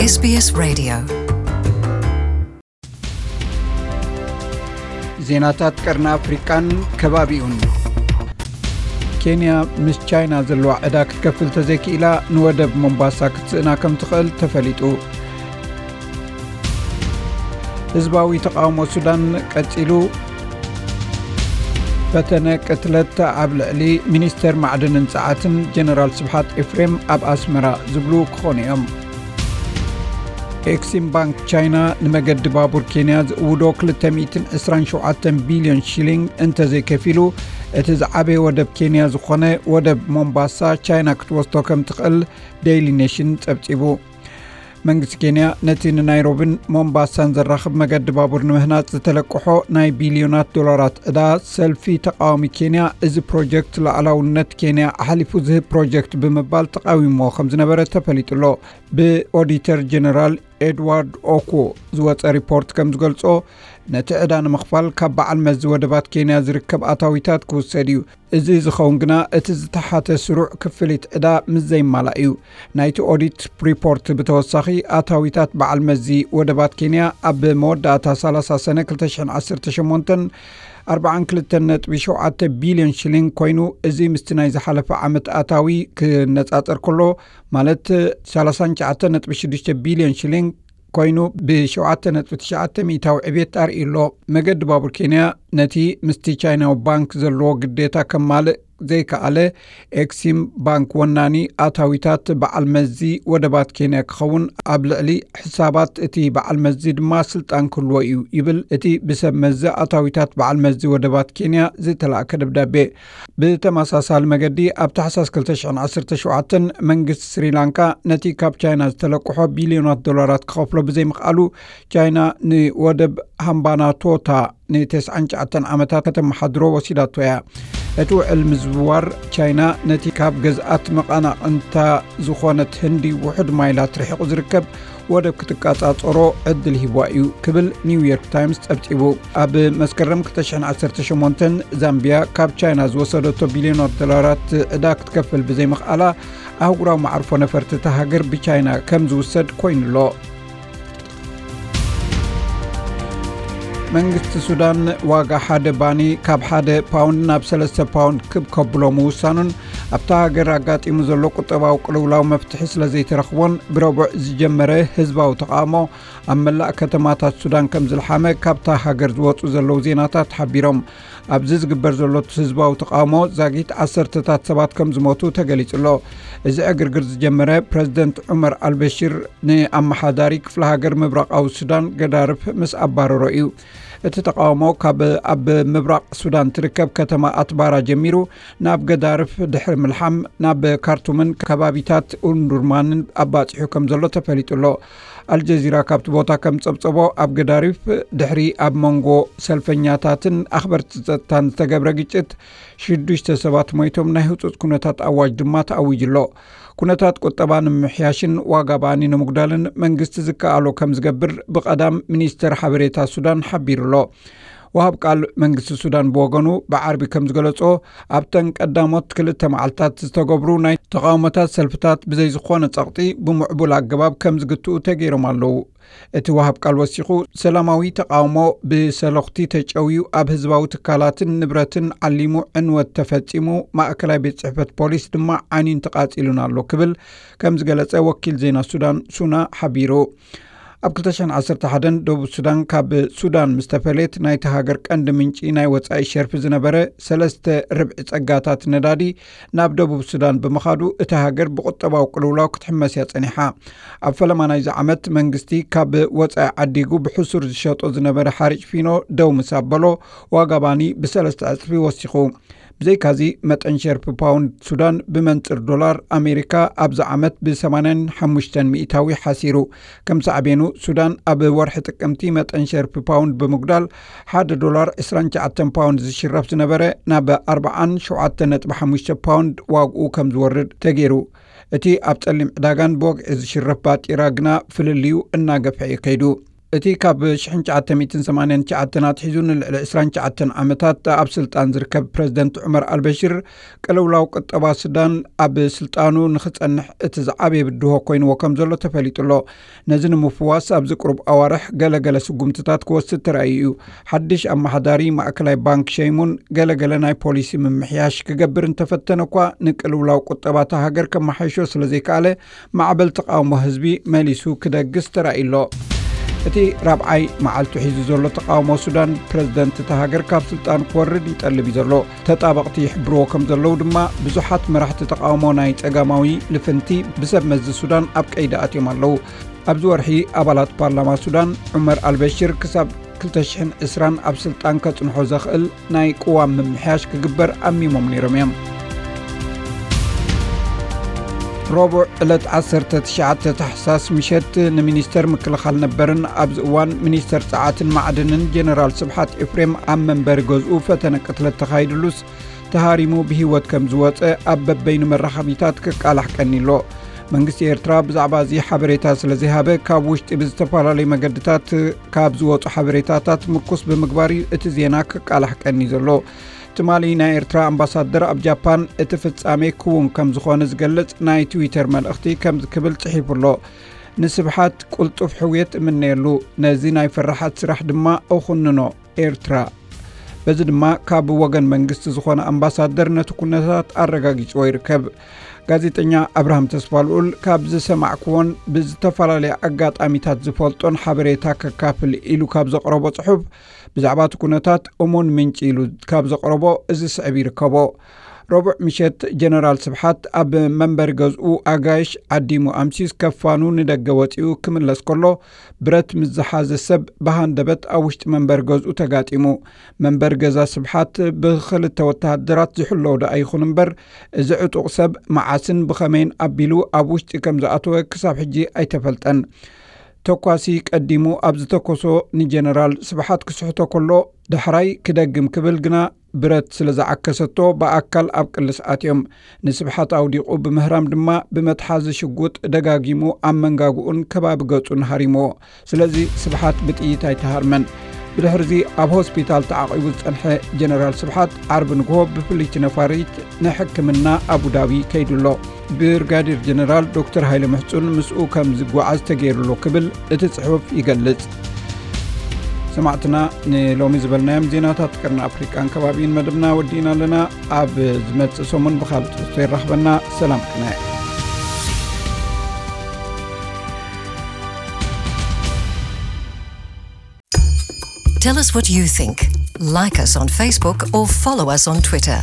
SBS Radio. ዜናታት ቀርኒ ኣፍሪቃን ከባቢኡን። ኬንያ ምስ ቻይና ዘለዋ ዕዳ ክትከፍል ተዘይክኢላ፣ ንወደብ ሞምባሳ ክትስእና ከም ትኽእል ተፈሊጡ። ህዝባዊ ተቓውሞ ሱዳን ቀጺሉ። ፈተነ ቅትለት ኣብ ልዕሊ ሚኒስተር ማዕድንን ጸዓትን ጀነራል ስብሓት ኤፍሬም ኣብ ኣስመራ ዝብሉ ክኾኑ እዮም። ኤክሲም ባንክ ቻይና ንመገዲ ባቡር ኬንያ ዝእውዶ ክልተ ሚእትን ዕስራን ሸውዓተን ቢልዮን ሺሊንግ እንተዘይከፊሉ፣ እቲ ዝዓበየ ወደብ ኬንያ ዝኾነ ወደብ ሞምባሳ ቻይና ክትወስዶ ከም ትኽእል ዴይሊ ኔሽን ጸብጺቡ። መንግስቲ ኬንያ ነቲ ንናይሮብን ሞምባሳን ዘራኽብ መገዲ ባቡር ንምህናጽ ዝተለቅሖ ናይ ቢልዮናት ዶላራት ዕዳ፣ ሰልፊ ተቃዋሚ ኬንያ፣ እዚ ፕሮጀክት ሉዓላውነት ኬንያ ኣሕሊፉ ዝህብ ፕሮጀክት ብምባል ተቃዊሞ ከም ዝነበረ ተፈሊጡ ኣሎ። ብኦዲተር ጀነራል ኤድዋርድ ኦኩ ዝወጸ ሪፖርት ከም ዝገልጾ፣ ነቲ ዕዳ ንምኽፋል ካብ በዓል መዚ ወደባት ኬንያ ዝርከብ ኣታዊታት ክውሰድ እዩ። እዚ ዝኸውን ግና እቲ ዝተሓተ ስሩዕ ክፍሊት ዕዳ ምስ ዘይማላእ እዩ። ናይቲ ኦዲት ሪፖርት ብተወሳኺ፣ ኣታዊታት በዓል መዚ ወደባት ኬንያ ኣብ መወዳእታ ሰላሳ ሰነ ክልተ ሽሕን ዓሰርተ ሸሞንተን ኣርባዓን ክልተን ነጥቢ ሸውዓተ ቢልዮን ሽሊንግ ኮይኑ፣ እዚ ምስቲ ናይ ዝሓለፈ ዓመት ኣታዊ ክነጻጸር ከሎ፣ ማለት ሰላሳን ትሽዓተን ነጥቢ ሽዱሽተ ቢልዮን ሽሊንግ ኮይኑ፣ ብሸውዓተ ነጥቢ ትሽዓተ ሚእታዊ ዕቤት ኣርእዩ ኣሎ። መገዲ ባቡር ኬንያ ነቲ ምስቲ ቻይናዊ ባንክ ዘለዎ ግዴታ ከማልእ ዘይከኣለ፣ ኤክሲም ባንክ ወናኒ ኣታዊታት በዓል መዚ ወደባት ኬንያ ክኸውን፣ ኣብ ልዕሊ ሕሳባት እቲ በዓል መዚ ድማ ስልጣን ክህልዎ እዩ ይብል እቲ ብሰብ መዚ ኣታዊታት በዓል መዚ ወደባት ኬንያ ዝተላእከ ደብዳቤ። ብተመሳሳሊ መገዲ፣ ኣብ ታሕሳስ ክልተ ሽሕን ዓሰርተ ሸውዓተን መንግስቲ ስሪላንካ ነቲ ካብ ቻይና ዝተለቅሖ ቢልዮናት ዶላራት ክኸፍሎ ብዘይምኽኣሉ፣ ቻይና ንወደብ ሃምባናቶታ ንተስዓን ትሽዓተን ዓመታት ከተመሓድሮ ወሲዳቶ እያ። እቲ ውዕል ምዝውዋር ቻይና ነቲ ካብ ገዝኣት መቐናቕንታ ዝኾነት ህንዲ ውሑድ ማይላት ርሒቑ ዝርከብ ወደብ ክትቃጻጸሮ ዕድል ሂብዋ እዩ ክብል ኒውዮርክ ታይምስ ጸብጺቡ። ኣብ መስከረም ክልተ ሽሕን ዓሰርተ ሸሞንተን ዛምቢያ ካብ ቻይና ዝወሰደቶ ቢልዮናት ዶላራት ዕዳ ክትከፍል ብዘይምኽኣላ፣ ኣህጉራዊ መዓርፎ ነፈርቲ እታ ሃገር ብቻይና ከም ዝውሰድ ኮይኑ ኣሎ። መንግስቲ ሱዳን ዋጋ ሓደ ባኒ ካብ ሓደ ፓውንድ ናብ ሰለስተ ፓውንድ ክብ ከብሎ ምውሳኑን፣ ኣብታ ሃገር ኣጋጢሙ ዘሎ ቁጠባዊ ቅልውላው መፍትሒ ስለ ዘይተረኽቦን፣ ብረቡዕ ዝጀመረ ህዝባዊ ተቓውሞ ኣብ መላእ ከተማታት ሱዳን ከም ዝለሓመ ካብታ ሃገር ዝወጹ ዘለዉ ዜናታት ሓቢሮም። ኣብዚ ዝግበር ዘሎ ህዝባዊ ተቓውሞ ዛጊት ዓሰርተታት ሰባት ከም ዝሞቱ ተገሊጹ ኣሎ። እዚ ዕግርግር ዝጀመረ ፕረዚደንት ዑመር ኣልበሽር ንኣመሓዳሪ ክፍለ ሃገር ምብራቓዊ ሱዳን ገዳርፍ ምስ ኣባረሮ እዩ። እቲ ተቓውሞ ካብ ኣብ ምብራቕ ሱዳን ትርከብ ከተማ ኣትባራ ጀሚሩ ናብ ገዳርፍ ድሕሪ ምልሓም ናብ ካርቱምን ከባቢታት ኡንዱርማንን ኣባጺሑ ከም ዘሎ ተፈሊጡ ኣሎ። ኣልጀዚራ ካብቲ ቦታ ከም ጸብጸቦ፣ ኣብ ገዳሪፍ ድሕሪ ኣብ መንጎ ሰልፈኛታትን ኣኽበርቲ ጸጥታን ዝተገብረ ግጭት ሽዱሽተ ሰባት ሞይቶም፣ ናይ ህጹጽ ኩነታት ኣዋጅ ድማ ተኣዊጁ ኣሎ። ኩነታት ቁጠባ ንምምሕያሽን ዋጋ ባኒ ንምጉዳልን መንግስቲ ዝከኣሎ ከም ዝገብር ብቐዳም ሚኒስተር ሓበሬታ ሱዳን ሓቢሩ ኣሎ። ወሃብ ቃል መንግስቲ ሱዳን ብወገኑ ብዓርቢ ከም ዝገለጾ፣ ኣብተን ቀዳሞት ክልተ መዓልታት ዝተገብሩ ናይ ተቓውሞታት ሰልፍታት ብዘይ ዝኾነ ጸቕጢ ብምዕቡል ኣገባብ ከም ዝግትኡ ተገይሮም ኣለዉ። እቲ ወሃብ ቃል ወሲኹ፣ ሰላማዊ ተቓውሞ ብሰለኽቲ ተጨውዩ፣ ኣብ ህዝባዊ ትካላትን ንብረትን ዓሊሙ ዕንወት ተፈጺሙ፣ ማእከላይ ቤት ጽሕፈት ፖሊስ ድማ ዓንዩን ተቓጺሉን ኣሎ ክብል ከም ዝገለጸ ወኪል ዜና ሱዳን ሱና ሓቢሩ። ኣብ ክልተ ሽሕን ዓሰርተ ሓደን ደቡብ ሱዳን ካብ ሱዳን ምስ ተፈለየት፣ ናይቲ ሃገር ቀንዲ ምንጪ ናይ ወጻኢ ሸርፊ ዝነበረ ሰለስተ ርብዒ ጸጋታት ነዳዲ ናብ ደቡብ ሱዳን ብምኻዱ፣ እታ ሃገር ብቁጠባዊ ቅልውላው ክትሕመስ እያ ጸኒሓ። ኣብ ፈለማ ናይዚ ዓመት መንግስቲ ካብ ወጻኢ ዓዲጉ ብሕሱር ዝሸጦ ዝነበረ ሓርጭ ፊኖ ደው ምስ ኣበሎ፣ ዋጋ ባኒ ብሰለስተ ዕጽፊ ወሲኹ። ብዘይካዚ፣ መጠን ሸርፊ ፓውንድ ሱዳን ብመንጽር ዶላር ኣሜሪካ ኣብዚ ዓመት ብ ሰማንያን ሓሙሽተን ሚእታዊ ሓሲሩ። ከም ሳዕቤኑ፣ ሱዳን ኣብ ወርሒ ጥቅምቲ መጠን ሸርፊ ፓውንድ ብምጉዳል፣ ሓደ ዶላር ዕስራን ትሽዓተን ፓውንድ ዝሽረፍ ዝነበረ፣ ናብ ኣርባዓን ሸውዓተን ነጥቢ ሓሙሽተ ፓውንድ ዋግኡ ከም ዝወርድ ተገይሩ። እቲ ኣብ ጸሊም ዕዳጋን ብወግዒ ዝሽረፍ ባጤራ ግና ፍልልዩ እናገፍሐ እዩ ከይዱ። እቲ ካብ ሽሕን ትሽዓተ ሚእትን ሰማንያን ትሽዓተን ኣትሒዙ ንልዕሊ ዕስራን ትሽዓተን ዓመታት ኣብ ስልጣን ዝርከብ ፕረዚደንት ዑመር ኣልበሽር፣ ቅልውላው ቁጠባ ሱዳን ኣብ ስልጣኑ ንኽጸንሕ እቲ ዝዓበየ ብድሆ ኮይንዎ ከም ዘሎ ተፈሊጡ ኣሎ። ነዚ ንምፍዋስ ኣብዚ ቅሩብ ኣዋርሕ ገለገለ ስጉምትታት ክወስድ ተራእዩ እዩ። ሓድሽ ኣመሓዳሪ ማእከላይ ባንክ ሸይሙን ገለገለ ናይ ፖሊሲ ምምሕያሽ ክገብር እንተፈተነ እኳ፣ ንቅልውላው ቁጠባ እታ ሃገር ከመሓይሾ ስለ ዘይከኣለ፣ ማዕበል ተቓውሞ ህዝቢ መሊሱ ክደግስ ተራእዩ ኣሎ። እቲ ራብዓይ መዓልቱ ሒዙ ዘሎ ተቓውሞ ሱዳን፣ ፕረዚደንት እታ ሃገር ካብ ስልጣን ክወርድ ይጠልብ እዩ ዘሎ። ተጣበቕቲ ይሕብርዎ ከም ዘለዉ ድማ፣ ብዙሓት መራሕቲ ተቓውሞ ናይ ጸጋማዊ ልፍንቲ ብሰብ መዚ ሱዳን ኣብ ቀይዲ ኣትዮም ኣለዉ። ኣብዚ ወርሒ፣ ኣባላት ፓርላማ ሱዳን፣ ዑመር ኣልበሽር ክሳብ ክልተ ሽሕን ዕስራን ኣብ ስልጣን ከጽንሖ ዘኽእል ናይ ቅዋም ምምሕያሽ ክግበር ኣሚሞም ነይሮም እዮም። ረቡዕ ዕለት ዓሰርተ ትሽዓተ ታሕሳስ ምሸት፣ ንሚኒስተር ምክልኻል ነበርን ኣብዚ እዋን ሚኒስተር ጸዓትን ማዕድንን ጀነራል ስብሓት ኤፍሬም ኣብ መንበሪ ገዝኡ ፈተነ ቅትለት ተኻይድሉስ፣ ተሃሪሙ ብህይወት ከም ዝወጸ ኣብ በበይኑ መራኸቢታት ክቃላሕ ቀኒሎ። መንግስቲ ኤርትራ ብዛዕባ እዚ ሓበሬታ ስለ ዘይሃበ፣ ካብ ውሽጢ ብዝተፈላለዩ መገድታት ካብ ዝወጹ ሓበሬታታት ምርኩስ ብምግባር እዩ እቲ ዜና ክቃላሕ ቀኒ ዘሎ። ትማሊ ናይ ኤርትራ ኣምባሳደር ኣብ ጃፓን፣ እቲ ፍጻሜ ክውን ከም ዝኾነ ዝገልጽ ናይ ትዊተር መልእኽቲ ከምዚ ክብል ጽሒፉ ኣሎ። "ንስብሓት ቅልጡፍ ሕውየት እምነየሉ፣ ነዚ ናይ ፈራሓት ስራሕ ድማ እኹንኖ፣ ኤርትራ." በዚ ድማ ካብ ወገን መንግስቲ ዝኾነ ኣምባሳደር ነቲ ኩነታት ኣረጋጊጽዎ ይርከብ። ጋዜጠኛ ኣብርሃም ተስፋልኡል፣ ካብ ዝሰማዕክዎን ብዝተፈላለየ ኣጋጣሚታት ዝፈልጦን ሓበሬታ ከካፍል ኢሉ ካብ ዘቕረቦ ጽሑፍ፣ ብዛዕባ እቲ ኩነታት እሙን ምንጪ ኢሉ ካብ ዘቕረቦ እዚ ስዕብ ይርከቦ። ረቡዕ ምሸት፣ ጀነራል ስብሓት ኣብ መንበሪ ገዝኡ ኣጋይሽ ዓዲሙ ኣምሲዩስ ከፋኑ ንደገ ወጺኡ ክምለስ ከሎ፣ ብረት ምስ ዝሓዘ ሰብ ብሃንደበት ኣብ ውሽጢ መንበሪ ገዝኡ ተጋጢሙ። መንበሪ ገዛ ስብሓት ብኽልተ ወተሃደራት ዝሕለው ደኣ ይኹን እምበር፣ እዚ ዕጡቕ ሰብ መዓስን ብኸመይን ኣቢሉ ኣብ ውሽጢ ከም ዝኣተወ ክሳብ ሕጂ ኣይተፈልጠን። ተኳሲ ቀዲሙ ኣብ ዝተኮሶ ንጀነራል ስብሓት ክስሕቶ ከሎ፣ ዳሕራይ ክደግም ክብል ግና ብረት ስለ ዝዓከሰቶ፣ ብኣካል ኣብ ቅልስ ኣትዮም። ንስብሓት ኣውዲቑ ብምህራም ድማ፣ ብመትሓዚ ሽጉጥ ደጋጊሙ ኣብ መንጋግኡን ከባቢ ገጹን ሃሪምዎ። ስለዚ ስብሓት ብጥይት ኣይተሃርመን። ብድሕርዚ ኣብ ሆስፒታል ተዓቒቡ ዝጸንሐ ጀነራል ስብሓት፣ ዓርቢ ንግሆ ብፍልይቲ ነፋሪት ንሕክምና ኣቡዳቢ ከይዱ ኣሎ። ብርጋዴር ጀነራል ዶክተር ሃይለ ምሕጹን ምስኡ ከም ዝጓዓዝ ተገይሩ ኣሎ ክብል እቲ ጽሑፍ ይገልጽ። ሰማዕትና፣ ንሎሚ ዝበልናዮም ዜናታት ቀርኒ ኣፍሪቃን ከባቢን መደብና ወዲእና ኣለና። ኣብ ዝመጽእ ሰሙን ብኻልእ ትሕዝቶ ይራኽበና። ሰላም ቅነ። Tell us what you think. Like us on Facebook or follow us on Twitter.